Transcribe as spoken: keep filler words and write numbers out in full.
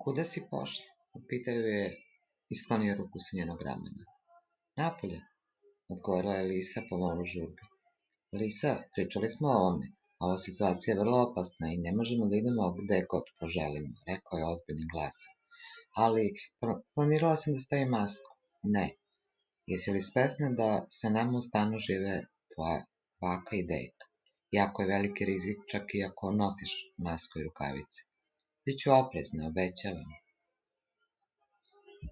Kuda si pošla? Upitao je i sklonio ruku sa njenog ramena. Napolje, odgovorila je Lisa pomalo žurbi. Lisa, pričali smo o ovome. Ova situacija je vrlo opasna i ne možemo da idemo gde god poželimo, rekao je ozbiljnim glasom. Ali, planirala sam da stavim masku. Ne. Jesi li svesna da sa nama u stanu žive tvoja baka i deka? Jako je veliki rizik čak i ako nosiš masku i rukavice. Biću oprezna, obećavam.